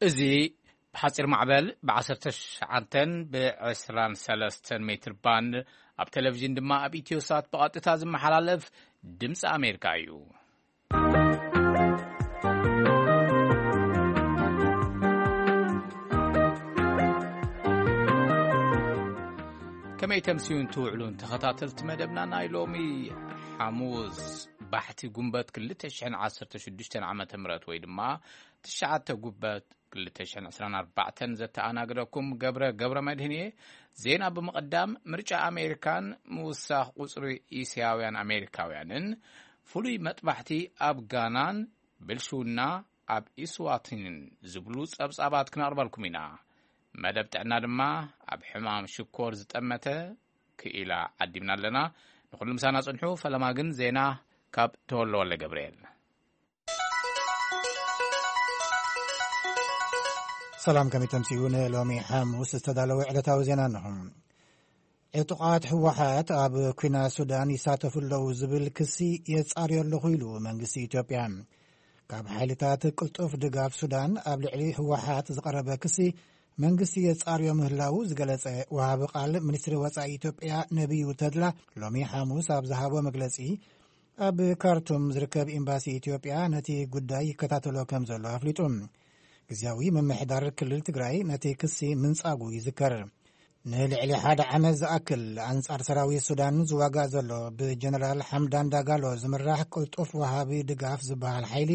እዚ ብሓጺር ማዕበል ብ19 ብ23 ሜትር ባንድ፣ ኣብ ቴሌቪዥን ድማ ኣብ ኢትዮሳት ብቐጥታ ዝመሓላለፍ ድምፂ ኣሜሪካ እዩ። ከመይ ተምስዩን ትውዕሉን ተኸታተልቲ መደብና ናይ ሎሚ ሓሙስ ባሕቲ ጉንበት ክልተ ሽሕን ዓሰርተ ሽዱሽተን ዓመተ ምህረት ወይ ድማ ትሽዓተ ጉንበት ክልተ ሽሕን ዕስራን ኣርባዕተን ዘተኣናግደኩም ገብረ ገብረ መድህን እየ። ዜና ብምቕዳም፣ ምርጫ ኣሜሪካን ምውሳኽ ቁጽሪ እስያውያን ኣሜሪካውያንን፣ ፍሉይ መጥባሕቲ ኣብ ጋናን ብልሽውና ኣብ ኢስዋቲንን ዝብሉ ጸብጻባት ክነቕርበልኩም ኢና። መደብ ጥዕና ድማ ኣብ ሕማም ሽኮር ዝጠመተ ክኢላ ዓዲምና ኣለና። ንኹሉ ምሳና ጽንሑ። ፈለማ ግን ዜና ካብ ተወልደ ወልደ ገብርኤል። ሰላም፣ ከመይ ተምስዩ? ንሎሚ ሓሙስ ዝተዳለወ ዕለታዊ ዜና እንሆ። ዕጡቓት ህወሓት ኣብ ኲናት ሱዳን ይሳተፉ ኣለዉ ዝብል ክሲ የጻርዮ ኣለኹ ኢሉ መንግስቲ ኢትዮጵያ። ካብ ሓይልታት ቅልጡፍ ድጋፍ ሱዳን ኣብ ልዕሊ ህወሓት ዝቐረበ ክሲ መንግስቲ የጻርዮ ምህላዉ ዝገለጸ ወሃቢ ቃል ሚኒስትሪ ወጻኢ ኢትዮጵያ ነቢዩ ተድላ ሎሚ ሓሙስ ኣብ ዝሃቦ መግለጺ፣ ኣብ ካርቱም ዝርከብ ኤምባሲ ኢትዮጵያ ነቲ ጉዳይ ይከታተሎ ከም ዘሎ ኣፍሊጡ። ግዝያዊ ምምሕዳር ክልል ትግራይ ነቲ ክሲ ምንጻጉ ይዝከር። ንልዕሊ ሓደ ዓመት ዝኣክል ኣንጻር ሰራዊት ሱዳን ዝዋጋእ ዘሎ ብጀነራል ሓምዳን ዳጋሎ ዝምራሕ ቅልጡፍ ወሃቢ ድጋፍ ዝበሃል ሓይሊ፣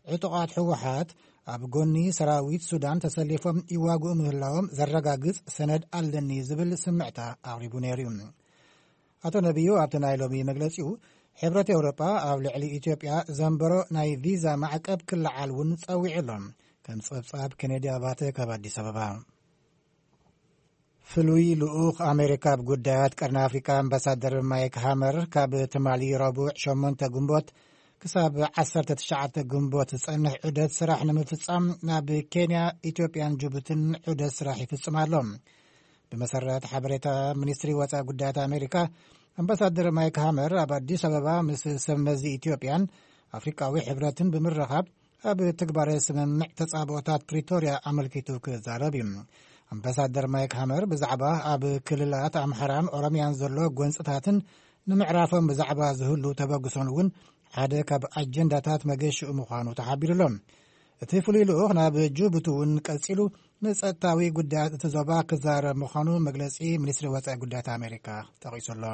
ዕጡቓት ህወሓት ኣብ ጎኒ ሰራዊት ሱዳን ተሰሊፎም ይዋግኡ ምህላዎም ዘረጋግጽ ሰነድ ኣለኒ ዝብል ስምዕታ ኣቕሪቡ ነይሩ እዩ። ኣቶ ነቢዩ ኣብቲ ናይ ሎሚ መግለጺኡ፣ ሕብረት ኤውሮጳ ኣብ ልዕሊ ኢትዮጵያ ዘንበሮ ናይ ቪዛ ማዕቀብ ክለዓል እውን ጸዊዑ ኣሎ። ከም ጸብጻብ ኬኔዲ ኣባተ ካብ ኣዲስ ኣበባ። ፍሉይ ልኡኽ ኣሜሪካ ኣብ ጉዳያት ቀርኒ ኣፍሪካ ኣምባሳደር ማይክ ሃመር ካብ ትማሊ ረቡዕ ሸሞንተ ግንቦት ክሳብ ዓሰርተ ትሽዓተ ግንቦት ዝጸንሕ ዑደት ስራሕ ንምፍጻም ናብ ኬንያ፣ ኢትዮጵያን ጅቡትን ዑደት ስራሕ ይፍጽም ኣሎ። ብመሰረት ሓበሬታ ሚኒስትሪ ወጻኢ ጉዳያት ኣሜሪካ፣ ኣምባሳደር ማይክ ሃመር ኣብ ኣዲስ ኣበባ ምስ ሰብ መዚ ኢትዮጵያን ኣፍሪካዊ ሕብረትን ብምርኻብ ኣብ ትግባረ ስምምዕ ተጻብኦታት ፕሪቶርያ ኣመልኪቱ ክዛረብ እዩ። ኣምባሳደር ማይክ ሃመር ብዛዕባ ኣብ ክልላት ኣምሓራን ኦሮሚያን ዘሎ ጎንጽታትን ንምዕራፎም ብዛዕባ ዝህሉ ተበግሶን እውን ሓደ ካብ ኣጀንዳታት መገሽኡ ምዃኑ ተሓቢሩ ኣሎ። እቲ ፍሉይ ልኡኽ ናብ ጅቡቲ እውን ቀጺሉ ንጸጥታዊ ጉዳያት እቲ ዞባ ክዛረብ ምዃኑ መግለጺ ሚኒስትሪ ወጻኢ ጉዳያት ኣሜሪካ ጠቒሱ ኣሎ።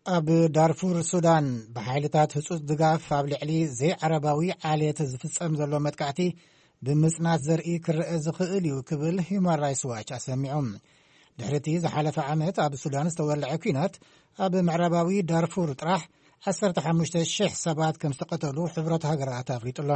ኣብ ዳርፉር ሱዳን ብሓይልታት ህጹጽ ድጋፍ ኣብ ልዕሊ ዘይዓረባዊ ዓሌት ዝፍጸም ዘሎ መጥቃዕቲ ብምጽናት ዘርኢ ክረአ ዝኽእል እዩ ክብል ሂዩማን ራይትስ ዋች ኣሰሚዑ። ድሕሪ እቲ ዝሓለፈ ዓመት ኣብ ሱዳን ዝተወልዐ ኲናት፣ ኣብ ምዕራባዊ ዳርፉር ጥራሕ ዓሰርተ ሓሙሽተ ሽሕ ሰባት ከም ዝተቐተሉ ሕብረት ሃገራት ኣፍሊጡ ኣሎ።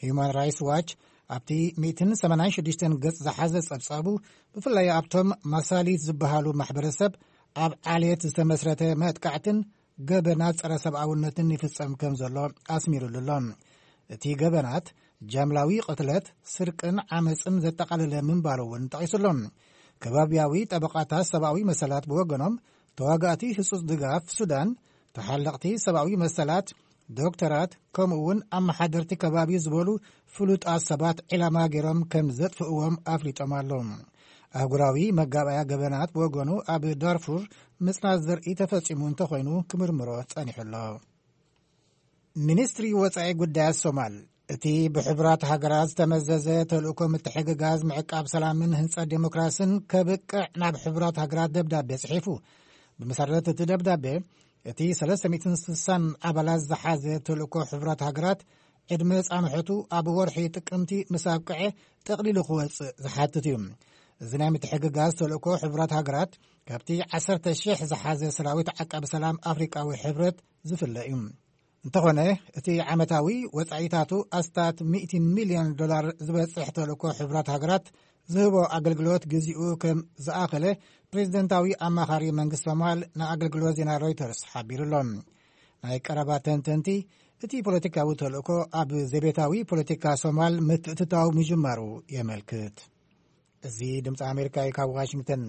ሂዩማን ራይትስ ዋች ኣብቲ ሚእትን ሰማንያን ሽዱሽተን ገጽ ዝሓዘ ጸብጻቡ፣ ብፍላይ ኣብቶም ማሳሊት ዝበሃሉ ማሕበረሰብ ኣብ ዓሌት ዝተመስረተ መጥቃዕትን ገበናት ጸረ ሰብኣውነትን ይፍጸም ከም ዘሎ ኣስሚሩሉ ኣሎ። እቲ ገበናት ጃምላዊ ቅትለት፣ ስርቅን ዓመጽን ዘጠቓለለ ምንባሩ እውን ጠቒሱ ኣሎ። ከባቢያዊ ጠበቓታት ሰብኣዊ መሰላት ብወገኖም፣ ተዋጋእቲ ህጹጽ ድጋፍ ሱዳን፣ ተሓለቕቲ ሰብኣዊ መሰላት፣ ዶክተራት፣ ከምኡ እውን ኣመሓደርቲ ከባቢ ዝበሉ ፍሉጣት ሰባት ዒላማ ገይሮም ከም ዘጥፍእዎም ኣፍሊጦም ኣለዉ። ኣህጉራዊ መጋባእያ ገበናት ብወገኑ ኣብ ዳርፉር ምጽናት ዘርኢ ተፈጺሙ እንተኾይኑ ክምርምሮ ጸኒሑ ኣሎ። ሚኒስትሪ ወጻኢ ጉዳያት ሶማል፣ እቲ ብሕቡራት ሃገራት ዝተመዘዘ ተልእኮ ምትሕግጋዝ ምዕቃብ ሰላምን ህንጸት ዴሞክራስን ከብቅዕ ናብ ሕቡራት ሃገራት ደብዳቤ ጽሒፉ። ብመሰረት እቲ ደብዳቤ፣ እቲ ሰለስተ ሚእትን ስሳን ኣባላት ዝሓዘ ተልእኮ ሕቡራት ሃገራት፣ ዕድመ ጻንሖቱ ኣብ ወርሒ ጥቅምቲ ምስ ኣብቅዐ ጠቕሊሉ ክወጽእ ዝሓትት እዩ። እዚ ናይ ምትሕግጋዝ ተልእኮ ሕቡራት ሃገራት፣ ካብቲ ዓሰርተ ሽሕ ዝሓዘ ሰራዊት ዓቃቢ ሰላም ኣፍሪቃዊ ሕብረት ዝፍለ እዩ። እንተኾነ፣ እቲ ዓመታዊ ወጻኢታቱ ኣስታት ሚእቲ ሚልዮን ዶላር ዝበጽሕ ተልእኮ ሕቡራት ሃገራት ዝህቦ ኣገልግሎት ግዚኡ ከም ዝኣኸለ ፕሬዚደንታዊ ኣማኻሪ መንግስቲ ሶማል ንኣገልግሎት ዜና ሮይተርስ ሓቢሩ ኣሎ። ናይ ቀረባ ተንተንቲ፣ እቲ ፖለቲካዊ ተልእኮ ኣብ ዘቤታዊ ፖለቲካ ሶማል ምትእትታው ምጅማሩ የመልክት። እዚ ድምፂ ኣሜሪካ እዩ፣ ካብ ዋሽንግተን።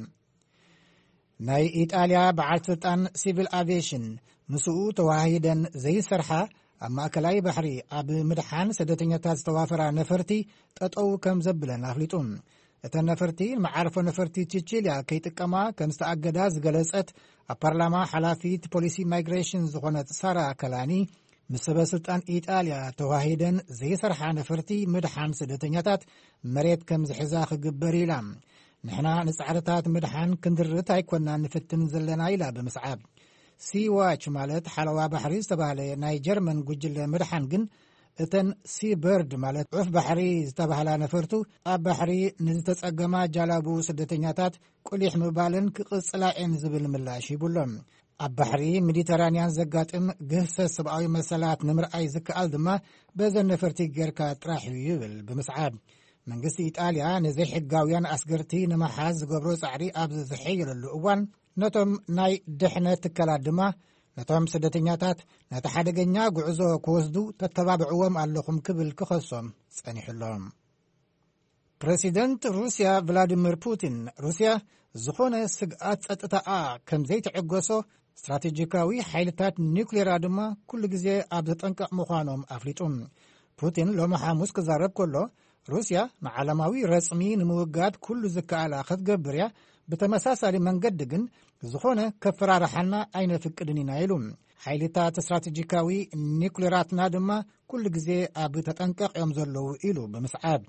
ናይ ኢጣልያ በዓል ስልጣን ሲቪል ኣቪዬሽን፣ ምስኡ ተዋሂደን ዘይሰርሓ ኣብ ማእከላይ ባሕሪ ኣብ ምድሓን ስደተኛታት ዝተዋፈራ ነፈርቲ ጠጠው ከም ዘብለን ኣፍሊጡ። እተን ነፈርቲ ንመዓርፎ ነፈርቲ ቺቺልያ ከይጥቀማ ከም ዝተኣገዳ ዝገለጸት ኣብ ፓርላማ ሓላፊት ፖሊሲ ማይግሬሽን ዝኾነት ሳራ ከላኒ፣ ምስ ሰበ ስልጣን ኢጣልያ ተዋሂደን ዘይሰርሓ ነፈርቲ ምድሓን ስደተኛታት መሬት ከም ዝሕዛ ክግበር ኢላ። ንሕና ንጻዕርታት ምድሓን ክንድርት ኣይኮና ንፍትን ዘለና ኢላ ብምስዓብ። ሲዋች ማለት ሓለዋ ባሕሪ ዝተባህለ ናይ ጀርመን ጉጅለ ምድሓን ግን እተን ሲበርድ ማለት ዑፍ ባሕሪ ዝተባህላ ነፈርቱ ኣብ ባሕሪ ንዝተጸገማ ጃላቡ ስደተኛታት ቁሊሕ ምባልን ክቕጽላ እየን ዝብል ምላሽ ሂቡሎም። ኣብ ባሕሪ ሜዲተራንያን ዘጋጥም ግህሰት ሰብኣዊ መሰላት ንምርኣይ ዝከኣል ድማ በዘን ነፈርቲ ጌርካ ጥራሕ እዩ ይብል ብምስዓብ። መንግስቲ ኢጣልያ ንዘይሕጋውያን ኣስገርቲ ንምሓዝ ዝገብሮ ጻዕሪ ኣብ ዝሕየለሉ እዋን፣ ነቶም ናይ ድሕነት ትካላት ድማ ነቶም ስደተኛታት ነቲ ሓደገኛ ጉዕዞ ክወስዱ ተተባብዕዎም ኣለኹም ክብል ክኸሶም ጸኒሑ ኣሎ። ፕረሲደንት ሩስያ ቭላዲሚር ፑቲን፣ ሩስያ ዝኾነ ስግኣት ጸጥታኣ ከም ዘይትዕገሶ፣ ስትራቴጂካዊ ሓይልታት ኒውክሌራ ድማ ኩሉ ግዜ ኣብ ተጠንቀቕ ምዃኖም ኣፍሊጡ። ፑቲን ሎሚ ሓሙስ ክዛረብ ከሎ፣ ሩስያ ንዓለማዊ ረጽሚ ንምውጋድ ኩሉ ዝከኣላ ክትገብር እያ፣ ብተመሳሳሊ መንገዲ ግን ዝኾነ ከፈራርሓና ኣይነፍቅድን ኢና ኢሉ። ሓይልታት ስትራቴጂካዊ ኒውክሌራትና ድማ ኩሉ ግዜ ኣብ ተጠንቀቕ እዮም ዘለዉ ኢሉ ብምስዓብ።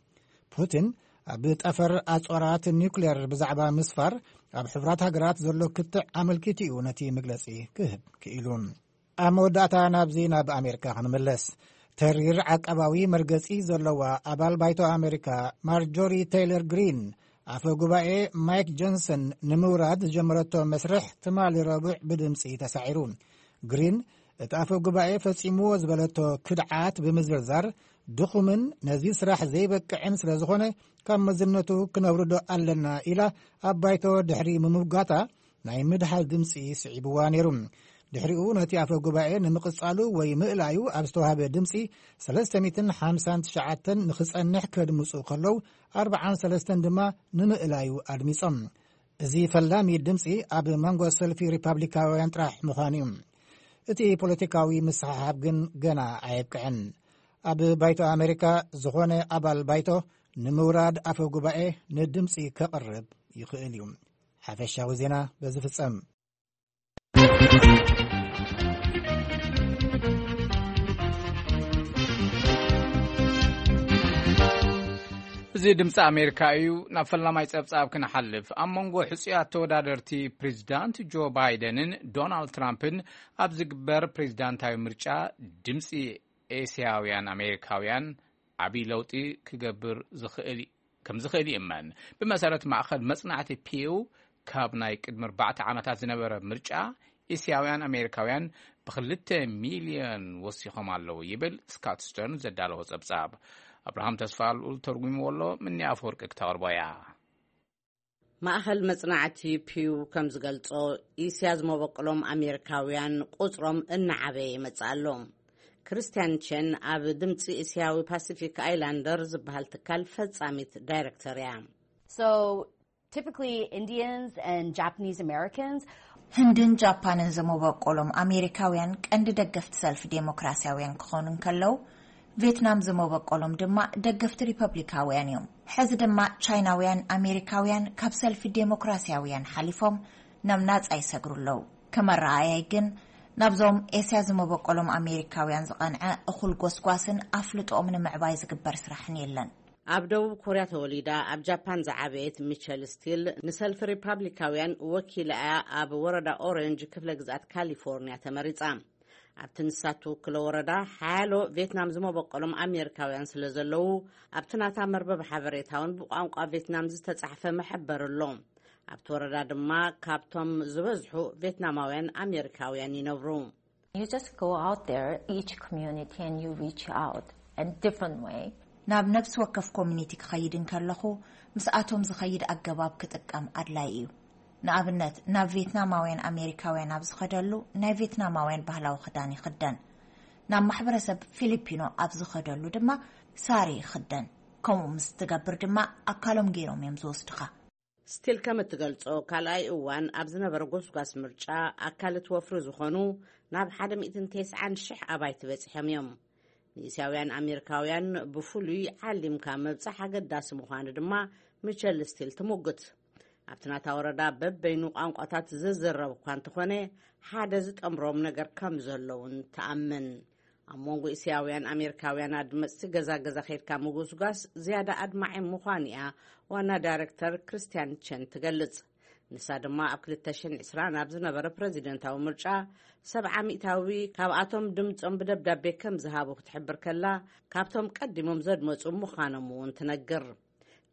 ፑቲን ኣብ ጠፈር ኣጽዋራት ኒውክሌር ብዛዕባ ምስፋር ኣብ ሕቡራት ሃገራት ዘሎ ክትዕ ኣመልኪቱ እዩ ነቲ መግለጺ ክህብ ክኢሉ። ኣብ መወዳእታ ናብዚ ናብ ኣሜሪካ ክንምለስ። ተሪር ዓቃባዊ መርገጺ ዘለዋ ኣባል ባይቶ ኣሜሪካ ማርጆሪ ቴይለር ግሪን፣ ኣፈ ጉባኤ ማይክ ጆንሰን ንምውራድ ዝጀመረቶ መስርሕ ትማሊ ረቡዕ ብድምጺ ተሳዒሩ። ግሪን፣ እቲ ኣፈ ጉባኤ ፈጺምዎ ዝበለቶ ክድዓት ብምዝርዛር፣ ድኹምን ነዚ ስራሕ ዘይበቅዕን ስለ ዝኾነ፣ ካብ መዝነቱ ክነውርዶ ኣለና ኢላ ኣብ ባይቶ ድሕሪ ምምጓታ፣ ናይ ምድሃል ድምጺ ስዒብዋ ነይሩ። ድሕሪኡ ነቲ ኣፈ ጉባኤ ንምቕጻሉ ወይ ምእላዩ ኣብ ዝተዋህበ ድምጺ፣ ሰለስተ ሚእትን ሓምሳን ትሽዓተን ንኽጸንሕ ከድምጹ ከለዉ፣ ኣርብዓን ሰለስተን ድማ ንምእላዩ ኣድሚጾም። እዚ ፈላሚ ድምጺ ኣብ መንጎ ሰልፊ ሪፓብሊካውያን ጥራሕ ምዃኑ እዩ። እቲ ፖለቲካዊ ምስሕሓብ ግን ገና ኣየብቅዐን። ኣብ ባይቶ ኣሜሪካ ዝኾነ ኣባል ባይቶ ንምውራድ ኣፈ ጉባኤ ንድምጺ ከቕርብ ይኽእል እዩ። ሓፈሻዊ ዜና በዚ ፍጸም። እዚ ድምፂ ኣሜሪካ እዩ። ናብ ፈላማይ ፀብፃብ ክንሓልፍ፣ ኣብ መንጎ ሕፁያት ተወዳደርቲ ፕሬዚዳንት ጆ ባይደንን ዶናልድ ትራምፕን ኣብ ዝግበር ፕሬዚዳንታዊ ምርጫ ድምፂ ኤስያውያን ኣሜሪካውያን ዓብዪ ለውጢ ክገብር ዝኽእል ከም ዝኽእል ይእመን። ብመሰረት ማእኸል መጽናዕቲ ፒው፣ ካብ ናይ ቅድሚ ኣርባዕተ ዓመታት ዝነበረ ምርጫ፣ እስያውያን ኣሜሪካውያን ብክልተ ሚልዮን ወሲኾም ኣለዉ ይብል ስካት ስተርን ዘዳለዎ ጸብጻብ። ኣብርሃም ተስፋ ልኡል ተርጉምዎ ኣሎ፣ ምኒ ኣፈወርቂ ክተቕርቦ እያ። ማእኸል መጽናዕቲ ፒው ከም ዝገልጾ፣ እስያ ዝመበቆሎም ኣሜሪካውያን ቁጽሮም እናዓበየ ይመጽእ ኣሎ። ክርስቲያን ቼን ኣብ ድምፂ እስያዊ ፓሲፊክ ኣይላንደር ዝበሃል ትካል ፈጻሚት ዳይሬክተር እያ። So typically Indians and Japanese Americans. ህንድን ጃፓንን ዝመበቆሎም ኣሜሪካውያን ቀንዲ ደገፍቲ ሰልፊ ዴሞክራሲያውያን ክኾኑ እንከለዉ፣ ቬትናም ዝመበቆሎም ድማ ደገፍቲ ሪፐብሊካውያን እዮም። ሕዚ ድማ ቻይናውያን ኣሜሪካውያን ካብ ሰልፊ ዴሞክራሲያውያን ሓሊፎም ናብ ናጻ ይሰግሩ ኣለዉ። ከም ኣረኣእያይ ግን፣ ናብዞም ኤስያ ዝመበቆሎም ኣሜሪካውያን ዝቐንዐ እኹል ጎስጓስን ኣፍልጦኦም ንምዕባይ ዝግበር ስራሕን የለን። ኣብ ደቡብ ኮርያ ተወሊዳ ኣብ ጃፓን ዝዓበየት ሚቸል ስቲል፣ ንሰልፊ ሪፓብሊካውያን ወኪላ እያ ኣብ ወረዳ ኦሬንጅ ክፍለ ግዝኣት ካሊፎርኒያ ተመሪጻ። ኣብቲ ንሳ ትውክሎ ወረዳ ሓያሎ ቬትናም ዝመበቆሎም ኣሜሪካውያን ስለ ዘለዉ፣ ኣብቲ ናታ መርበብ ሓበሬታ እውን ብቋንቋ ቬትናም ዝተጻሕፈ መሐበሪ ኣሎ። ኣብቲ ወረዳ ድማ ካብቶም ዝበዝሑ ቬትናማውያን ኣሜሪካውያን ይነብሩ። You just go out there, each community, and you reach out in different way. ናብ ነፍሲ ወከፍ ኮሚኒቲ ክኸይድ እንከለኹ፣ ምስኣቶም ዝኸይድ ኣገባብ ክጥቀም ኣድላይ እዩ። ንኣብነት፣ ናብ ቬትናማውያን ኣሜሪካውያን ኣብ ዝኸደሉ፣ ናይ ቬትናማውያን ባህላዊ ክዳን ይኽደን። ናብ ማሕበረሰብ ፊሊፒኖ ኣብ ዝኸደሉ ድማ ሳሪ ይኽደን። ከምኡ ምስ ትገብር ድማ፣ ኣካሎም ገይሮም እዮም ዝወስድኻ። ስቲል ከም እትገልጾ፣ ካልኣይ እዋን ኣብ ዝነበረ ጎስጓስ ምርጫ ኣካል እቲ ወፍሪ ዝኾኑ ናብ ሓደ ሚእትን ተስዓን ሽሕ ኣባይቲ በጺሖም እዮም። ንእስያውያን ኣሜሪካውያን ብፍሉይ ዓሊምካ ምብጻሕ ኣገዳሲ ምዃኑ ድማ ሚቸል ስቲል ትምጉት። ኣብቲ ናታ ወረዳ በበይኑ ቋንቋታት ዝዝረብ እኳ እንተኾነ፣ ሓደ ዝጠምሮም ነገር ከም ዘለውን ትኣምን። ኣብ መንጎ እስያውያን ኣሜሪካውያን ኣድመጽቲ ገዛ ገዛ ከይድካ ምጉስጓስ ዝያዳ ኣድማዒ ምዃን እያ ዋና ዳይረክተር ክርስቲያን ቸን ትገልጽ። ንሳ ድማ ኣብ ክልተ ሽሕን ዕስራን ኣብ ዝነበረ ፕረዚደንታዊ ምርጫ ሰብዓ ሚእታዊ ካብኣቶም ድምጾም ብደብዳቤ ከም ዝሃቡ ክትሕብር ከላ፣ ካብቶም ቀዲሞም ዘድመጹ ምዃኖም እውን ትነግር።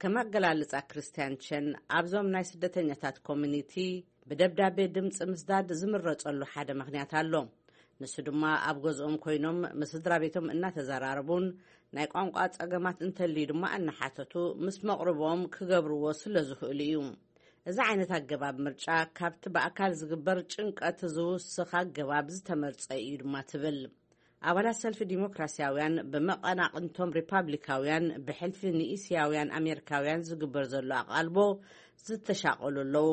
ከም ኣገላልጻ ክርስቲያን ቸን፣ ኣብዞም ናይ ስደተኛታት ኮሚኒቲ ብደብዳቤ ድምጺ ምስዳድ ዝምረጸሉ ሓደ ምኽንያት ኣሎ። ንሱ ድማ ኣብ ገዝኦም ኮይኖም ምስ ስድራ ቤቶም እናተዘራረቡን ናይ ቋንቋ ጸገማት እንተልዩ ድማ እናሓተቱ ምስ መቕርቦም ክገብርዎ ስለ ዝኽእሉ እዩ። እዚ ዓይነት ኣገባብ ምርጫ ካብቲ ብኣካል ዝግበር ጭንቀት ዝውስኽ ኣገባብ ዝተመርጸ እዩ ድማ ትብል። ኣባላት ሰልፊ ዲሞክራሲያውያን ብመቐናቕንቶም ሪፓብሊካውያን ብሕልፊ ንእስያውያን ኣሜሪካውያን ዝግበር ዘሎ ኣቓልቦ ዝተሻቐሉ ኣለዉ።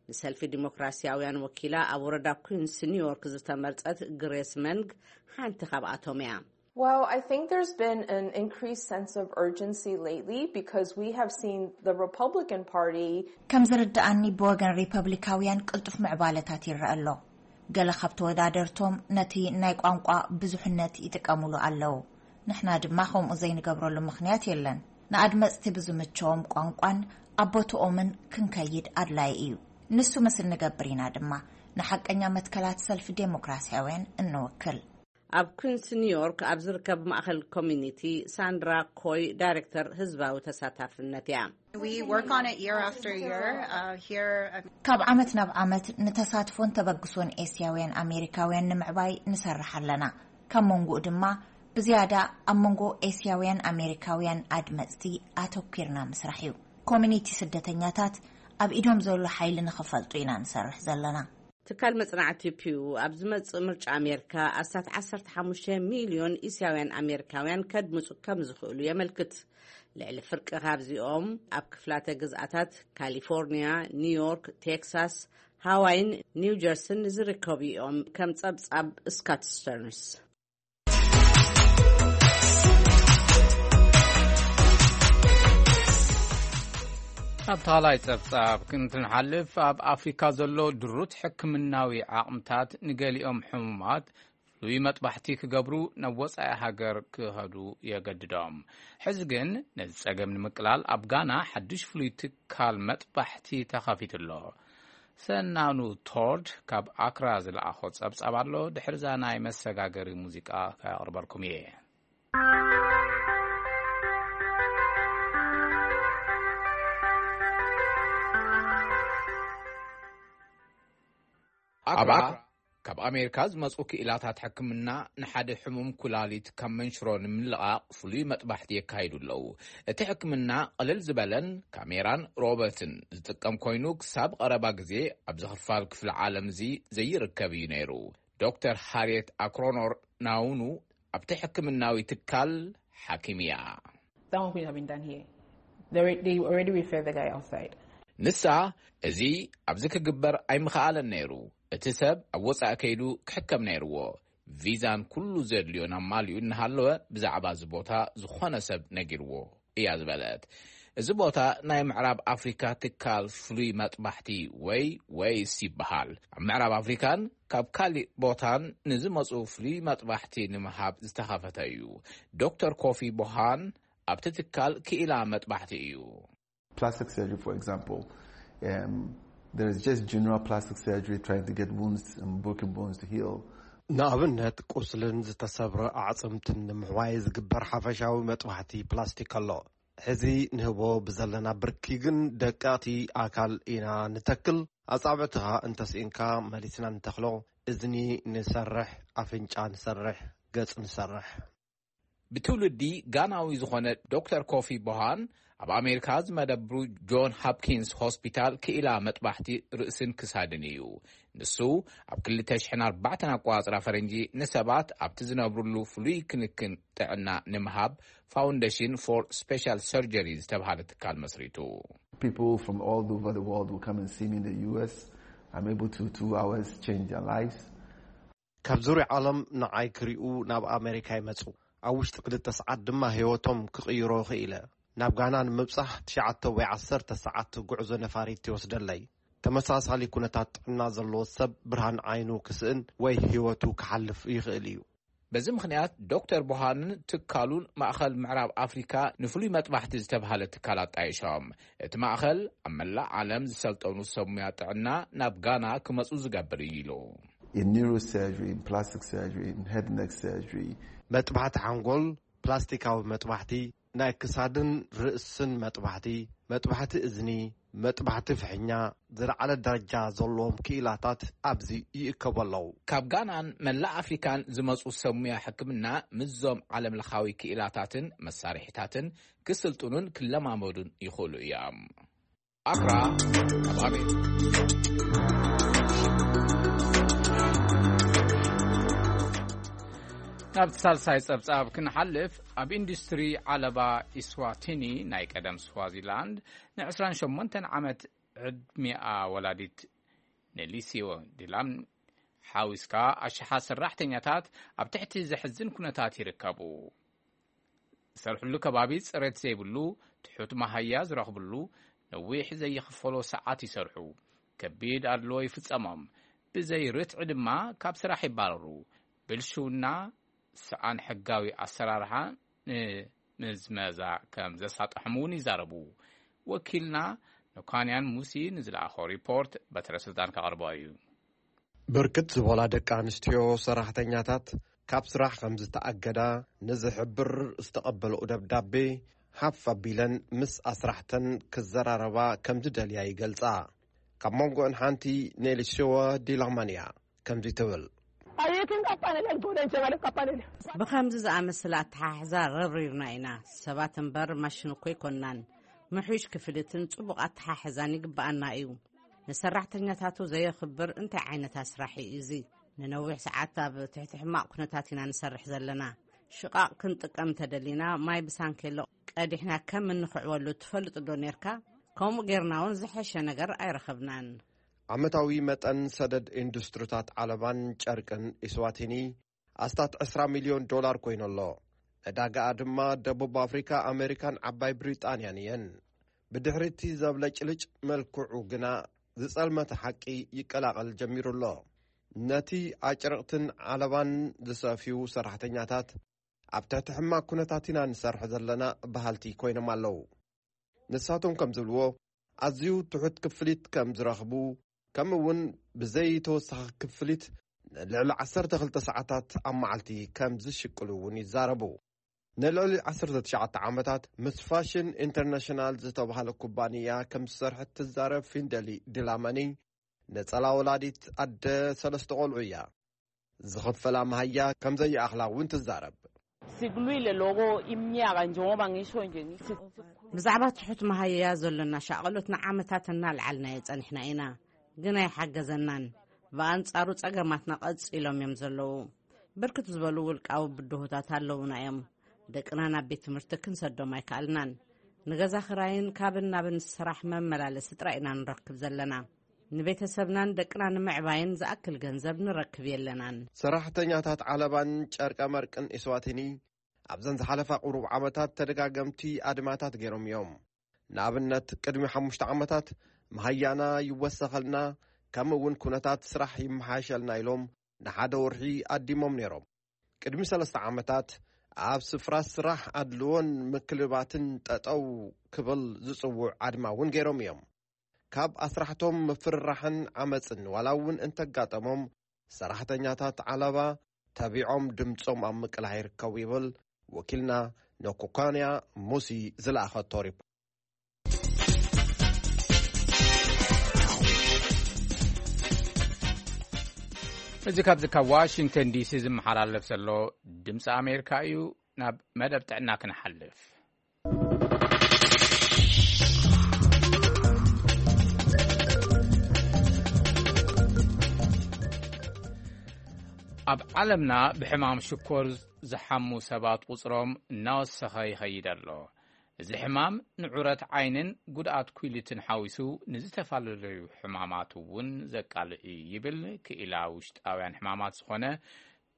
ንሰልፊ ዲሞክራሲያውያን ወኪላ ኣብ ወረዳ ኩንስ ኒውዮርክ ዝተመርጸት ግሬስ መንግ ሓንቲ ካብኣቶም እያ። Well, I think there's been an increased sense of urgency lately because we have seen the Republican Party. ከም ዝርድኣኒ፣ ብወገን ሪፐብሊካውያን ቅልጡፍ ምዕባለታት ይረአ ኣሎ። ገለ ካብ ተወዳደርቶም ነቲ ናይ ቋንቋ ብዙሕነት ይጥቀሙሉ ኣለዉ። ንሕና ድማ ከምኡ ዘይንገብረሉ ምኽንያት የለን። ንኣድመጽቲ ብዝምቸዎም ቋንቋን ኣብ ቦትኦምን ክንከይድ ኣድላዪ እዩ። ንሱ ምስ እንገብር ኢና ድማ ንሓቀኛ መትከላት ሰልፊ ዴሞክራሲያውያን እንውክል። ኣብ ኩንስ ኒውዮርክ ኣብ ዝርከብ ማእኸል ኮሚኒቲ ሳንድራ ኮይ ዳይሬክተር ህዝባዊ ተሳታፍነት እያ። We work on it year after year. Uh, here, um, ካብ ዓመት ናብ ዓመት ንተሳትፎን ተበግሶን ኤስያውያን ኣሜሪካውያን ንምዕባይ ንሰርሕ ኣለና። ካብ መንጎኡ ድማ ብዝያዳ ኣብ መንጎ ኤስያውያን ኣሜሪካውያን ኣድመጽቲ ኣተኲርና ምስራሕ እዩ። ኮሚኒቲ ስደተኛታት ኣብ ኢዶም ዘሎ ሓይሊ ንኽፈልጡ ኢና ንሰርሕ ዘለና። ትካል መጽናዕቲ ፒው ኣብ ዝመጽእ ምርጫ ኣሜሪካ ኣስታት ዓሰርተ ሓሙሽተ ሚልዮን እስያውያን ኣሜሪካውያን ከድምጹ ከም ዝኽእሉ የመልክት። ልዕሊ ፍርቂ ካብዚኦም ኣብ ክፍላተ ግዝኣታት ካሊፎርኒያ፣ ኒውዮርክ፣ ቴክሳስ፣ ሃዋይን ኒው ጀርስን ዝርከቡ እዮም። ከም ጸብጻብ ስካት ስተርንስ። ኣብ ካልኣይ ጸብጻብ ክንትንሓልፍ፣ ኣብ ኣፍሪካ ዘሎ ድሩት ሕክምናዊ ዓቕምታት ንገሊኦም ሕሙማት ፍሉይ መጥባሕቲ ክገብሩ ናብ ወጻኢ ሃገር ክኸዱ የገድዶም። ሕዚ ግን ነዚ ጸገም ንምቅላል ኣብ ጋና ሓድሽ ፍሉይ ትካል መጥባሕቲ ተኸፊቱ ኣሎ። ሰናኑ ቶርድ ካብ ኣክራ ዝለኣኾ ጸብጻብ ኣሎ። ድሕርዛ ናይ መሰጋገሪ ሙዚቃ ከቕርበልኩም እየ። ኣባ ካብ ኣሜሪካ ዝመጹ ክኢላታት ሕክምና ንሓደ ሕሙም ኩላሊት ካብ መንሽሮ ንምልቓቕ ፍሉይ መጥባሕቲ የካይዱ ኣለዉ። እቲ ሕክምና ቅልል ዝበለን ካሜራን ሮበትን ዝጥቀም ኮይኑ፣ ክሳብ ቀረባ ግዜ ኣብዚ ክፋል ክፍሊ ዓለም እዚ ዘይርከብ እዩ ነይሩ። ዶክተር ሃርየት ኣክሮኖር ናውኑ ኣብቲ ሕክምናዊ ትካል ሓኪም እያ። That one couldn't have been done here. They, re- they already referred the guy outside. ንሳ፣ እዚ ኣብዚ ክግበር ኣይምኸኣለን ነይሩ። እቲ ሰብ ኣብ ወጻኢ ከይዱ ክሕከም ነይርዎ። ቪዛን ኩሉ ዘድልዮን ኣማሊኡ እናሃለወ ብዛዕባ እዚ ቦታ ዝኾነ ሰብ ነጊርዎ እያ ዝበለት። እዚ ቦታ ናይ ምዕራብ ኣፍሪካ ትካል ፍሉይ መጥባሕቲ ወይ ወይስ ይበሃል። ኣብ ምዕራብ ኣፍሪካን ካብ ካሊእ ቦታን ንዝመፁ ፍሉይ መጥባሕቲ ንምሃብ ዝተኸፈተ እዩ። ዶክተር ኮፊ ቦሃን ኣብቲ ትካል ክኢላ መጥባሕቲ እዩ። Plastic surgery, for example, um, there is just general plastic surgery trying to get wounds and broken bones to heal. ንኣብነት፣ ቁስልን ዝተሰብረ ኣዕጽምትን ንምሕዋይ ዝግበር ሓፈሻዊ መጥባሕቲ ፕላስቲክ ኣሎ። ሕዚ ንህቦ ብዘለና ብርኪ ግን ደቀቕቲ ኣካል ኢና ንተክል። ኣጻብዕትኻ እንተስኢንካ መሊስና ንተኽሎ። እዝኒ ንሰርሕ፣ ኣፍንጫ ንሰርሕ፣ ገጽ ንሰርሕ። ብትውልዲ ጋናዊ ዝኾነ ዶክተር ኮፊ ቦሃን ኣብ ኣሜሪካ ዝመደብሩ ጆን ሃፕኪንስ ሆስፒታል ክኢላ መጥባሕቲ ርእስን ክሳድን እዩ። ንሱ ኣብ ክልተ ሽሕን ኣርባዕተን ኣቆጻጽራ ፈረንጂ ንሰባት ኣብቲ ዝነብሩሉ ፍሉይ ክንክን ጥዕና ንምሃብ ፋውንዴሽን ፎር ስፔሻል ሰርጀሪ ዝተባህለ ትካል መስሪቱ። People from all over the world will come and see me in the U S. I'm able to, through hours, change their lives. ካብ ዙርያ ዓለም ንዓይ ክሪኡ ናብ ኣሜሪካ ይመጹ። ኣብ ውሽጢ ክልተ ሰዓት ድማ ህይወቶም ክቕይሮ ክኢለ። ናብ ጋና ንምብጻሕ ትሽዓተ ወይ ዓሰርተ ሰዓት ጉዕዞ ነፋሪት ይወስደለይ። ተመሳሳሊ ኩነታት ጥዕና ዘለዎ ሰብ ብርሃን ዓይኑ ክስእን ወይ ህይወቱ ክሓልፍ ይኽእል እዩ። በዚ ምኽንያት ዶክተር ቡሃንን ትካሉን ማእኸል ምዕራብ ኣፍሪካ ንፍሉይ መጥባሕቲ ዝተብሃለ ትካል ኣጣይሾም። እቲ ማእኸል ኣብ መላእ ዓለም ዝሰልጠኑ ሰብ ሙያ ጥዕና ናብ ጋና ክመፁ ዝገብር እዩ ኢሉ። In neurosurgery, in plastic surgery, in head neck surgery. መጥባሕቲ ሓንጎል፣ ፕላስቲካዊ መጥባሕቲ፣ ናይ ክሳድን ርእስን መጥባሕቲ፣ መጥባሕቲ እዝኒ፣ መጥባሕቲ ፍሕኛ፣ ዝለዓለ ደረጃ ዘለዎም ክኢላታት ኣብዚ ይእከቡ ኣለዉ። ካብ ጋናን መላእ ኣፍሪካን ዝመፁ ሰብ ሙያ ሕክምና ምስዞም ዓለም ለኻዊ ክኢላታትን መሳርሒታትን ክስልጥኑን ክለማመዱን ይኽእሉ እዮም። ኣክራ፣ ኣብ ኣሜሪካ። ናብቲ ሳልሳይ ጸብጻብ ክንሓልፍ፣ ኣብ ኢንዱስትሪ ዓለባ ኢስዋቲኒ፣ ናይ ቀደም ስዋዚላንድ፣ ን ዕስራን ሸሞንተን ዓመት ዕድሚኣ ወላዲት ነሊሲዮ ዲላም ሓዊስካ ኣሽሓት ሰራሕተኛታት ኣብ ትሕቲ ዘሕዝን ኩነታት ይርከቡ። ዝሰርሕሉ ከባቢ ጽሬት ዘይብሉ፣ ትሑት መሃያ ዝረኽብሉ፣ ነዊሕ ዘይኽፈሎ ሰዓት ይሰርሑ፣ ከቢድ ኣድልዎ ይፍጸሞም፣ ብዘይ ርትዒ ድማ ካብ ስራሕ ይባረሩ። ብልሽውና፣ ሰኣን ሕጋዊ ኣሰራርሓ ንምዝመዛ ከም ዘሳጥሖም እውን ይዛረቡ። ወኪልና ኖካንያን ሙሲ ንዝለኣኾ ሪፖርት በትረ ስልጣን ከቕርቦ እዩ። ብርክት ዝበላ ደቂ ኣንስትዮ ሰራሕተኛታት ካብ ስራሕ ከም ዝተኣገዳ ንዝሕብር ዝተቐበልኦ ደብዳቤ ሓፍ ኣቢለን ምስ ኣስራሕተን ክዘራረባ ከም ዝደልያ ይገልጻ። ካብ መንጎአን ሓንቲ ኔሊሽዋ ዲላማንያ ከምዚ ትብል። Ayeetiin qaphane lel godhan jabale qaphane lel. ብኸምዚ ዝኣመሰለ ኣተሓሕዛ ረብሪብና ኢና። ሰባት እምበር ማሽን እኮ ኣይኮንናን። ምሕሽ ክፍሊትን ጽቡቕ ኣተሓሕዛን ይግብኣና እዩ። ንሰራሕተኛታቱ ዘየኽብር እንታይ ዓይነት ኣስራሒ እዩ እዚ? ንነዊሕ ሰዓት ኣብ ትሕቲ ሕማቕ ኩነታት ኢና ንሰርሕ ዘለና። ሽቓቕ ክንጥቀም እንተደሊና ማይ ብሳንኬሎ ቀዲሕና ከም እንኽዕወሉ ትፈልጥ ዶ ኔርካ? ከምኡ ጌርና እውን ዝሐሸ ነገር ኣይረኸብናን። ዓመታዊ መጠን ሰደድ ኢንዱስትሪታት ዓለባን ጨርቅን ኢስዋቲኒ ኣስታት ዕስራ ሚልዮን ዶላር ኮይኑ ኣሎ። ዕዳጋኣ ድማ ደቡብ ኣፍሪካ፣ ኣሜሪካን ዓባይ ብሪጣንያን እየን። ብድሕሪ እቲ ዘብለጭልጭ መልክዑ ግና ዝጸልመተ ሓቂ ይቀላቐል ጀሚሩ ኣሎ። ነቲ ኣጭርቕትን ዓለባን ዝሰፍዩ ሰራሕተኛታት ኣብ ትሕቲ ሕማቕ ኩነታት ኢና ንሰርሕ ዘለና በሃልቲ ኮይኖም ኣለዉ። ንሳቶም ከም ዝብልዎ ኣዝዩ ትሑት ክፍሊት ከም ዝረኽቡ ከምኡ እውን ብዘይ ተወሳኺ ክፍሊት ንልዕሊ ዓሰርተ ክልተ ሰዓታት ኣብ መዓልቲ ከም ዝሽቅሉ እውን ይዛረቡ። ንልዕሊ ዓሰርተ ትሽዓተ ዓመታት ምስ ፋሽን ኢንተርናሽናል ዝተባህለ ኩባንያ ከም ዝሰርሐት ትዛረብ ፊንደሊ ድላመኒ ነጸላ ወላዲት ኣደ ሰለስተ ቆልዑ እያ። ዝኽፈላ መሃያ ከም ዘይኣኽላ እውን ትዛረብ። Sikulwile lokho iminyaka njengoba ngisho nje ngithi ብዛዕባ ትሑት መሃያ ዘሎና ሻቕሎት ንዓመታት እናልዓልናዮ ጸኒሕና ኢና፣ ግን ኣይሓገዘናን። ብኣንጻሩ ጸገማትና ቀጺሎም እዮም ዘለዉ። ብርክት ዝበሉ ውልቃዊ ብድሆታት ኣለዉና እዮም። ደቅና ናብ ቤት ትምህርቲ ክንሰዶም ኣይከኣልናን። ንገዛ ኽራይን ካብን ናብን ስራሕ መመላለሲ ጥራይ ኢና ንረክብ ዘለና። ንቤተሰብናን ደቅና ንምዕባይን ዝኣክል ገንዘብ ንረክብ የለናን። ሰራሕተኛታት ዓለባን ጨርቀ መርቅን ኢስዋቲኒ ኣብዘን ዝሓለፋ ቁሩብ ዓመታት ተደጋገምቲ ኣድማታት ገይሮም እዮም። ንኣብነት ቅድሚ ሓሙሽተ ዓመታት መሃያና ይወሰኸልና ከምኡ እውን ኩነታት ስራሕ ይመሓየሸልና ኢሎም ንሓደ ወርሒ ኣዲሞም ነይሮም። ቅድሚ ሰለስተ ዓመታት ኣብ ስፍራ ስራሕ ኣድልዎን ምክልባትን ጠጠው ክብል ዝጽውዕ ኣድማ እውን ገይሮም እዮም። ካብ ኣስራሕቶም ምፍርራሕን ዓመፅን ዋላ እውን እንተጋጠሞም ሰራሕተኛታት ዓለባ ተቢዖም ድምፆም ኣብ ምቅላዕ ይርከቡ ይብል ወኪልና ነኩካንያ ሙሲ ዝለኣኸቶ ሪፖርት። እዚ ካብዚ ካብ ዋሽንግተን ዲሲ ዝመሓላለፍ ዘሎ ድምፂ ኣሜሪካ እዩ። ናብ መደብ ጥዕና ክንሓልፍ። ኣብ ዓለምና ብሕማም ሽኮር ዝሓሙ ሰባት ቁጽሮም እናወሰኸ ይኸይድ ኣሎ። እዚ ሕማም ንዑረት ዓይንን ጉድኣት ኩሊትን ሓዊሱ ንዝተፈላለዩ ሕማማት እውን ዘቃልዕ እዩ ይብል ክኢላ ውሽጣውያን ሕማማት ዝኾነ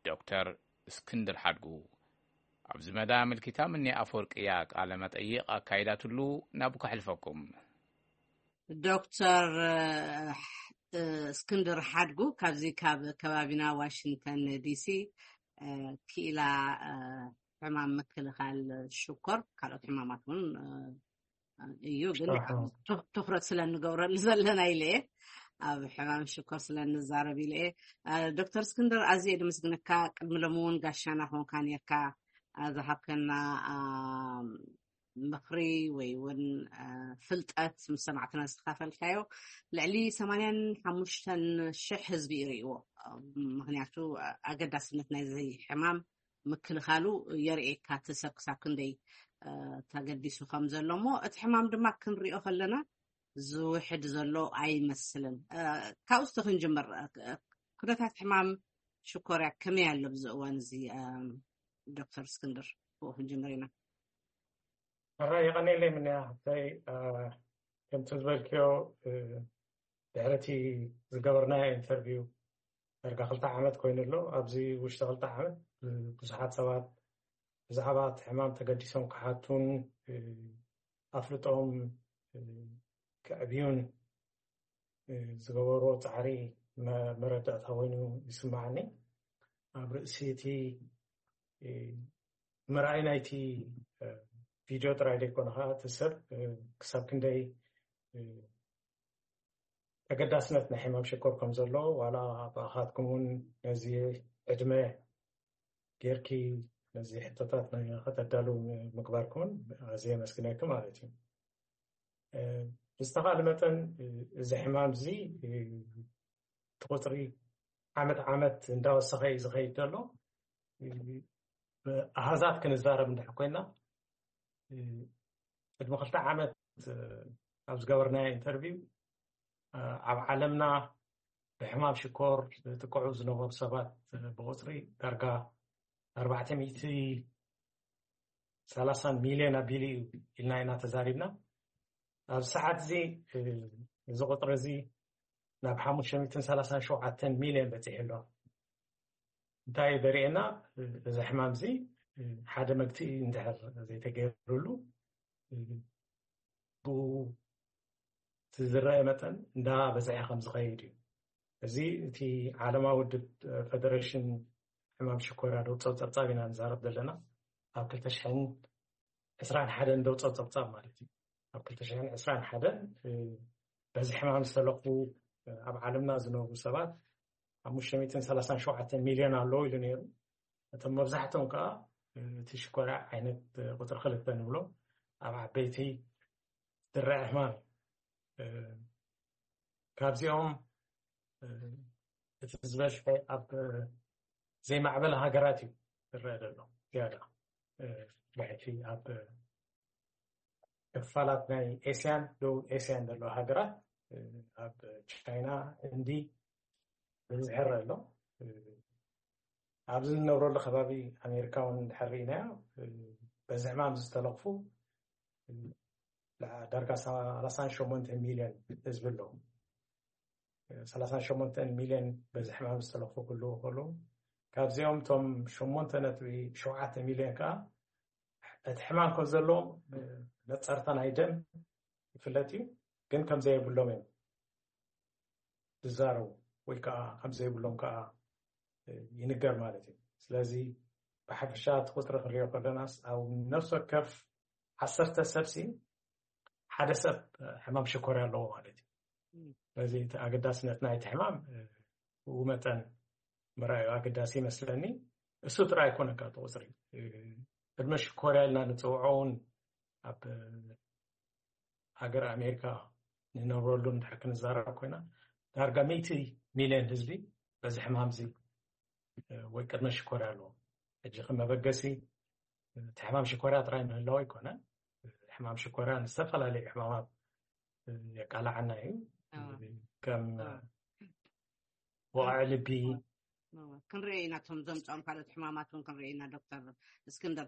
ዶክተር እስክንድር ሓድጉ። ኣብዚ መዳ ኣመልኪታ ምኒ ኣፈወርቅያ ቃለ መጠይቕ ኣካይዳትሉ፣ ናብ ከሕልፈኩም። ዶክተር እስክንድር ሓድጉ ካብዚ ካብ ከባቢና ዋሽንግተን ዲሲ ክኢላ ሕማም ምክልኻል ሽኮር፣ ካልኦት ሕማማት እውን እዩ፣ ግን ትኹረት ስለ እንገብረሉ ዘለና ኢለ እየ፣ ኣብ ሕማም ሽኮር ስለ እንዛረብ ኢለ እየ። ዶክተር እስክንድር፣ ኣዝየ ድምስግነካ። ቅድሚ ሎሚ እውን ጋሻና ኮንካ ነርካ። ዝሃብከና ምኽሪ ወይ እውን ፍልጠት ምስ ሰማዕትና ዝተካፈልካዮ፣ ልዕሊ ሰማንያን ሓሙሽተን ሽሕ ህዝቢ ይርእይዎ። ምክንያቱ ኣገዳስነት ናይዚ ሕማም ምክልኻሉ የርእየካ፣ እቲ ሰብ ክሳብ ክንደይ ተገዲሱ ከም ዘሎ። እሞ እቲ ሕማም ድማ ክንሪኦ ከለና ዝውሕድ ዘሎ ኣይመስልን። ካብኡ እስቲ ክንጅምር። ኩነታት ሕማም ሽኮርያ ከመይ ኣሎ ብዚ እዋን እዚ? ዶክተር እስክንድር፣ ብኡ ክንጅምር ኢና። ሕራይ የቐኔለይ ምንያ ሓፍተይ። ከምቲ ዝበልክዮ፣ ድሕርቲ ዝገበርናዮ ኢንተርቪው ዳርጋ ክልተ ዓመት ኮይኑ ኣሎ። ኣብዚ ውሽጢ ክልተ ዓመት ብዙሓት ሰባት ብዛዕባ እቲ ሕማም ተገዲሶም ክሓቱን ኣፍልጦም ክዕብዩን ዝገበርዎ ፃዕሪ መረዳእታ ኮይኑ ይስማዓኒ። ኣብ ርእሲ እቲ ምርኣይ ናይቲ ቪድዮ ጥራይ ዘይኮነ ከዓ እቲ ሰብ ክሳብ ክንደይ ተገዳስነት ናይ ሕማም ሽኮር ከም ዘሎ፣ ዋላ ብኣኻትኩም እውን ነዚ ዕድመ ጌርኪ ነዚ ሕቶታት ከተዳሉ ምግባርኩምን ኣዝየ የመስግነኪ ማለት እዩ። ብዝተኻለ መጠን እዚ ሕማም እዚ እቲ ቁፅሪ ዓመት ዓመት እንዳወሰኸ እዩ ዝኸይድ ዘሎ። ኣሃዛት ክንዛረብ እንድሕር ኮይና፣ ቅድሚ ክልተ ዓመት ኣብ ዝገበርናዮ ኢንተርቪው ኣብ ዓለምና ብሕማም ሽኮር ዝጥቅዑ ዝነበሩ ሰባት ብቁፅሪ ዳርጋ ኣርባዕተ ሚእቲ ሰላሳን ሚልዮን ኣቢሉ እዩ ኢልና ኢና ተዛሪብና። ኣብዚ ሰዓት እዚ እዚ ቁፅሪ እዚ ናብ ሓሙሽተ ሚእትን ሰላሳን ሸውዓተን ሚልዮን በፂሑ ኣሎ። እንታይ እዩ ዘርእየና? እዚ ሕማም እዚ ሓደ መግትኢ እንድሕር ዘይተገይሩሉ ብኡ እቲ ዝረአ መጠን እንዳበዝሐ ከም ዝኸይድ እዩ። እዚ እቲ ዓለማዊ ውድብ ፈደሬሽን ሕማም ሽኮርያ ደውፀብ ፀብፃብ ኢና ንዛረብ ዘለና። ኣብ ክልተ ሽሕን ዕስራን ሓደን ደውፀብ ፀብፃብ ማለት እዩ። ኣብ ክልተ ሽሕን ዕስራን ሓደን በዚ ሕማም ዝተለኽፉ ኣብ ዓለምና ዝነብሩ ሰባት ሓሙሽተ ሚእትን ሰላሳን ሸውዓተን ሚልዮን ኣለዉ ኢሉ ነይሩ። እቶም መብዛሕቶም ከዓ እቲ ሽኮርያ ዓይነት ቁፅሪ ክልተ ንብሎ ኣብ ዓበይቲ ዝረአ ሕማም እዩ። ካብዚኦም እቲ ዝበዝሐ ኣብ ዘይማዕበለ ሃገራት እዩ ዝረአ ዘሎ ዝያዳ። ብሕቲ ኣብ ክፋላት ናይ ኤስያን፣ ደቡብ ኤስያን ዘለዋ ሃገራት፣ ኣብ ቻይና፣ ህንዲ ብብዝሒ ይረአ ኣሎ። ኣብዚ እንነብረሉ ከባቢ ኣሜሪካ እውን እንድሕር ርኢናዮ፣ በዚ ሕማም ዝተለኽፉ ዳርጋ ሰላሳን ሸሞንተ ሚልዮን ህዝቢ ኣለዉ። ሰላሳን ሸሞንተ ሚልዮን በዚ ሕማም ዝተለኽፉ ክህልዉ ከለዉ፣ ካብዚኦም እቶም ሸሞንተ ነጥቢ ሸውዓተ ሚልዮን ከዓ እቲ ሕማም ከም ዘለዎም ነፀርታ ናይ ደም ይፍለጥ እዩ፣ ግን ከም ዘየብሎም እዮም ዝዛረቡ፣ ወይ ከዓ ከም ዘይብሎም ከዓ ይንገር ማለት እዩ። ስለዚ ብሓፈሻ እቲ ቁፅሪ ክንሪኦ ከለናስ ኣብ ነፍሲ ወከፍ ዓሰርተ ሰብሲ ሓደ ሰብ ሕማም ሽኮርያ ኣለዎ ማለት እዩ። ስለዚ እቲ ኣገዳስነት ናይቲ ሕማም ብኡ መጠን ምርኣዩ ኣገዳሲ ይመስለኒ። እሱ ጥራይ ኣይኮነን፣ ካብ ቁፅሪ ቅድመ ሽኮርያ ኢልና ንፅውዖ እውን ኣብ ሃገር ኣሜሪካ ንነብረሉ እንድሕር ክንዛረብ ኮይና፣ ዳርጋ ሚእቲ ሚልዮን ህዝቢ በዚ ሕማም እዚ ወይ ቅድመ ሽኮርያ ኣለዎ። ሕጂ ከም መበገሲ እቲ ሕማም ሽኮርያ ጥራይ ምህላው ኣይኮነን። ሕማም ሽኮርያ ንዝተፈላለዩ ሕማማት የቃላዓና እዩ። ከም ወቕዒ ልቢ። ክንርኢ ኢና፣ እቶም ዘምፅኦም ካልኦት ሕማማት እውን ክንርኢ ኢና። ዶክተር እስክንድር፣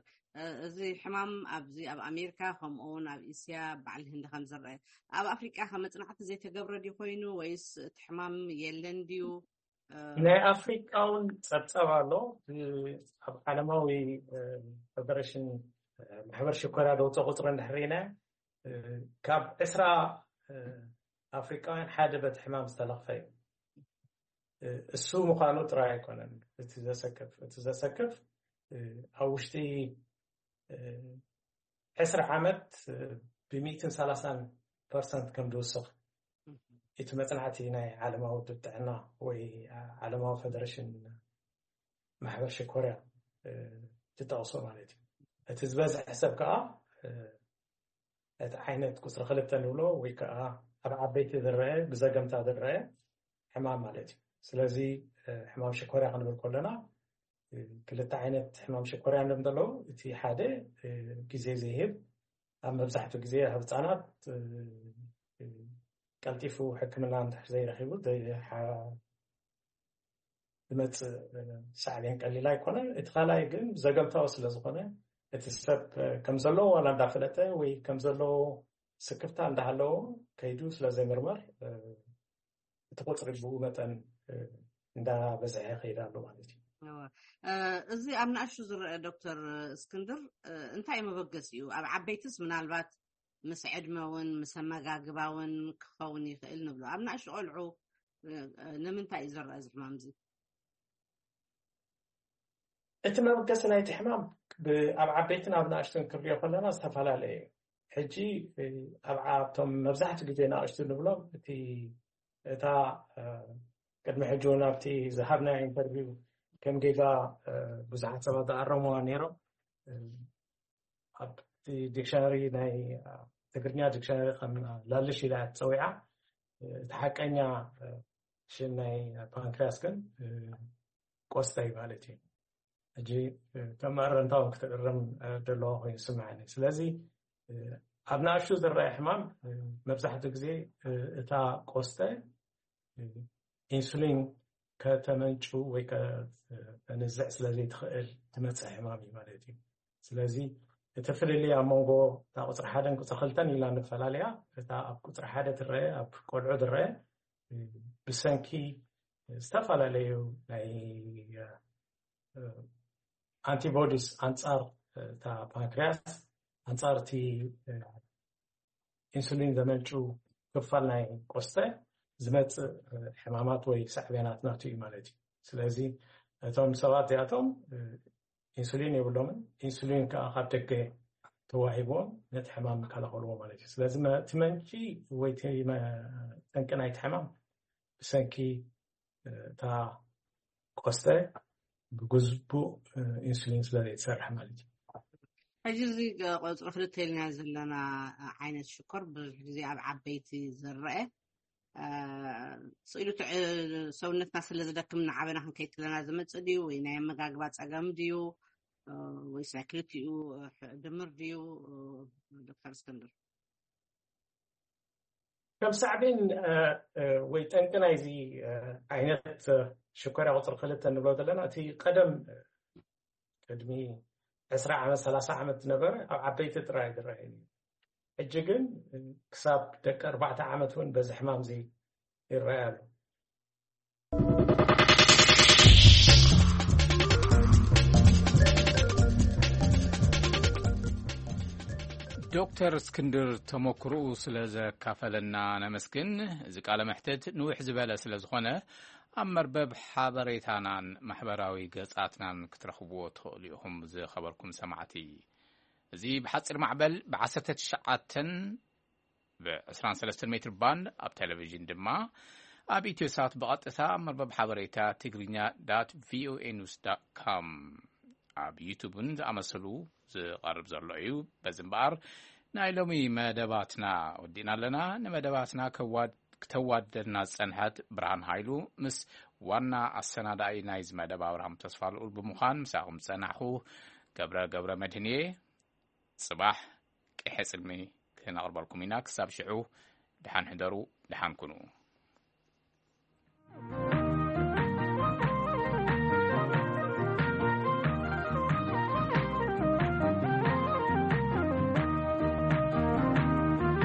እዚ ሕማም ኣብዚ ኣብ ኣሜሪካ ከምኡ እውን ኣብ እስያ በዓል ህንዲ ከም ዝረአ፣ ኣብ ኣፍሪቃ ከ መፅናዕቲ ዘይተገብረ ድዩ ኮይኑ ወይስ እቲ ሕማም የለን ድዩ? ናይ ኣፍሪቃ እውን ፀብፀብ ኣሎ። ኣብ ዓለማዊ ፌደሬሽን ማሕበር ሽኮርያ ደውፀ ቁፅሪ እንድሕር ኢና ካብ ዕስራ ኣፍሪቃውያን ሓደ በቲ ሕማም ዝተለኽፈ እዩ። እሱ ምዃኑ ጥራይ ኣይኮነን እቲ ዘሰክፍ። እቲ ዘሰክፍ ኣብ ውሽጢ ዕስራ ዓመት ብሚእትን ሰላሳን ፐርሰንት ከም ዝውስኽ እቲ መፅናዕቲ ናይ ዓለማዊ ውድብ ጥዕና ወይ ዓለማዊ ፌደሬሽን ማሕበር ሽኮርያ ዝጠቕሶ ማለት እዩ። እቲ ዝበዝሐ ሰብ ከዓ እቲ ዓይነት ቁፅሪ ክልተ ንብሎ ወይ ከዓ ኣብ ዓበይቲ ዝረአ ብዘገምታ ዝረአ ሕማም ማለት እዩ። ስለዚ ሕማም ሽኮርያ ክንብል ከለና ክልተ ዓይነት ሕማም ሽኮርያ እንድም ዘለዉ፣ እቲ ሓደ ግዜ ዘይህብ፣ ኣብ መብዛሕትኡ ግዜ ኣብ ህፃናት ቀልጢፉ ሕክምና እንድሕር ዘይረኪቡ ዝመፅእ ሳዕቤን ቀሊል ኣይኮነን። እቲ ካልኣይ ግን ዘገምታዊ ስለዝኮነ እቲ ሰብ ከም ዘለዎ ዋላ እንዳፈለጠ ወይ ከም ዘለዎ ስክፍታ እንዳሃለዎ ከይዱ ስለዘይምርመር እቲ ቁፅሪ ብኡ መጠን እንዳበዝሐ ይኸይድ ኣሎ ማለት እዩ። እዚ ኣብ ንኣሽቱ ዝረአ ዶክተር እስክንድር እንታይ መበገሲ እዩ? ኣብ ዓበይትስ ምናልባት ምስ ዕድመ እውን ምስ ኣመጋግባ እውን ክኸውን ይኽእል ንብሎ። ኣብ ንኣሽቱ ቆልዑ ንምንታይ እዩ ዝረአ እዚ ሕማም እዚ? እቲ መበገሲ ናይቲ ሕማም ኣብ ዓበይትን ኣብ ንኣሽቱን ክንሪኦ ከለና ዝተፈላለየ እዩ። ሕጂ ኣብቶም መብዛሕትኡ ግዜ ንኣሽቱ ንብሎም እቲ እታ ቅድሚ ሕጂ እውን ኣብቲ ዝሃብናዮ ኢንተርቪው ከም ጌጋ ብዙሓት ሰባት ዝኣረምዋ ነይሮም። ኣብቲ ዲክሽነሪ ናይ ትግርኛ ዲክሽነሪ ከም ላልሽ ኢላ እያ ትፀዊዓ። እቲ ሓቀኛ ሽም ናይ ፓንክሪያስ ግን ቆስተ እዩ ማለት እዩ። ሕጂ ከም መእረምታ እውን ክትእረም ደለዋ ኮይኑ ይስምዓኒ። ስለዚ ኣብ ንኣሽቱ ዝረአ ሕማም መብዛሕትኡ ግዜ እታ ቆስተ ኢንሱሊን ከተመንጩ ወይ ከተንዝዕ ስለዘይትኽእል ትመፅእ ሕማም እዩ ማለት እዩ። ስለዚ እቲ ፍልልይ ኣብ መንጎ እታ ቁፅሪ ሓደን ቁፅሪ ክልተን ኢላ ንፈላለያ፣ እታ ኣብ ቁፅሪ ሓደ ትረአ ኣብ ቆልዑ ዝረአ ብሰንኪ ዝተፈላለዩ ናይ ኣንቲቦዲስ ኣንፃር እታ ፓንክሪያስ ኣንፃር እቲ ኢንሱሊን ዘመንጩ ክፋል ናይ ቆስተ ዝመፅእ ሕማማት ወይ ሳዕቤናት ናቱ እዩ ማለት እዩ። ስለዚ እቶም ሰባት እዚኣቶም ኢንሱሊን የብሎምን። ኢንሱሊን ከዓ ካብ ደገ ተዋሂብዎም ነቲ ሕማም ይከላኸልዎ ማለት እዩ። ስለዚ እቲ መንጪ ወይ ጠንቂ ናይቲ ሕማም ብሰንኪ እታ ቆስተ ብግቡእ ኢንሱሊን ስለ ዘይትሰርሕ ማለት እዩ። ሕጂ እዚ ቆፅሪ ክልተ ኢልና ዘለና ዓይነት ሽኮር ብዙሕ ግዜ ኣብ ዓበይቲ ዝረአ ስኢሉ ሰውነትና ስለ ዝደክም ንዓበና ክንከይድ ከለና ዝመፅእ ድዩ ወይ ናይ ኣመጋግባ ፀገም ድዩ ወይስ ናይ ክልቲኡ ድምር ድዩ? ዶክተር እስክንድር ከም ሳዕቤን ወይ ጠንቂ ናይዚ ዓይነት ሽኮርያ ቁፅሪ ክልተ እንብሎ ዘለና እቲ ቀደም ቅድሚ ዕስራ ዓመት ሰላሳ ዓመት ዝነበረ ኣብ ዓበይቲ ጥራይ ዝረአ እዩ። ሕጂ ግን ክሳብ ደቂ ኣርባዕተ ዓመት እውን በዚ ሕማም እዚ ይረኣይ ኣሎ። ዶክተር እስክንድር ተመክሮኡ ስለ ዘካፈለና ነመስግን። እዚ ቃለ መሕትት ንውሕ ዝበለ ስለ ዝኾነ ኣብ መርበብ ሓበሬታናን ማሕበራዊ ገጻትናን ክትረኽብዎ ትኽእሉ ኢኹም። ዝኸበርኩም ሰማዕቲ፣ እዚ ብሓጺር ማዕበል ብ19 ብ23 ሜትር ባንድ ኣብ ቴሌቪዥን ድማ ኣብ ኢትዮሳት ብቐጥታ ኣብ መርበብ ሓበሬታ ትግርኛ ዳት ቪኦኤ ኒውስ ዳት ኮም ኣብ ዩቱብን ዝኣመሰሉ ዝቐርብ ዘሎ እዩ። በዚ እምበኣር ናይ ሎሚ መደባትና ወዲእና ኣለና። ንመደባትና ከዋድ- ክተዋደድና ዝጸንሐት ብርሃን ሃይሉ ምስ ዋና ኣሰናዳኢ ናይዚ መደብ ኣብርሃም ተስፋ ልኡል ብምዃን ምሳኹም ዝጸናሕኹ። ገብረ ገብረ መድህን እየ። ጽባሕ ቅሐ ጽልሚ ክነቕርበልኩም ኢና። ክሳብ ሽዑ ደሓን ሕደሩ፣ ደሓን ኩኑ።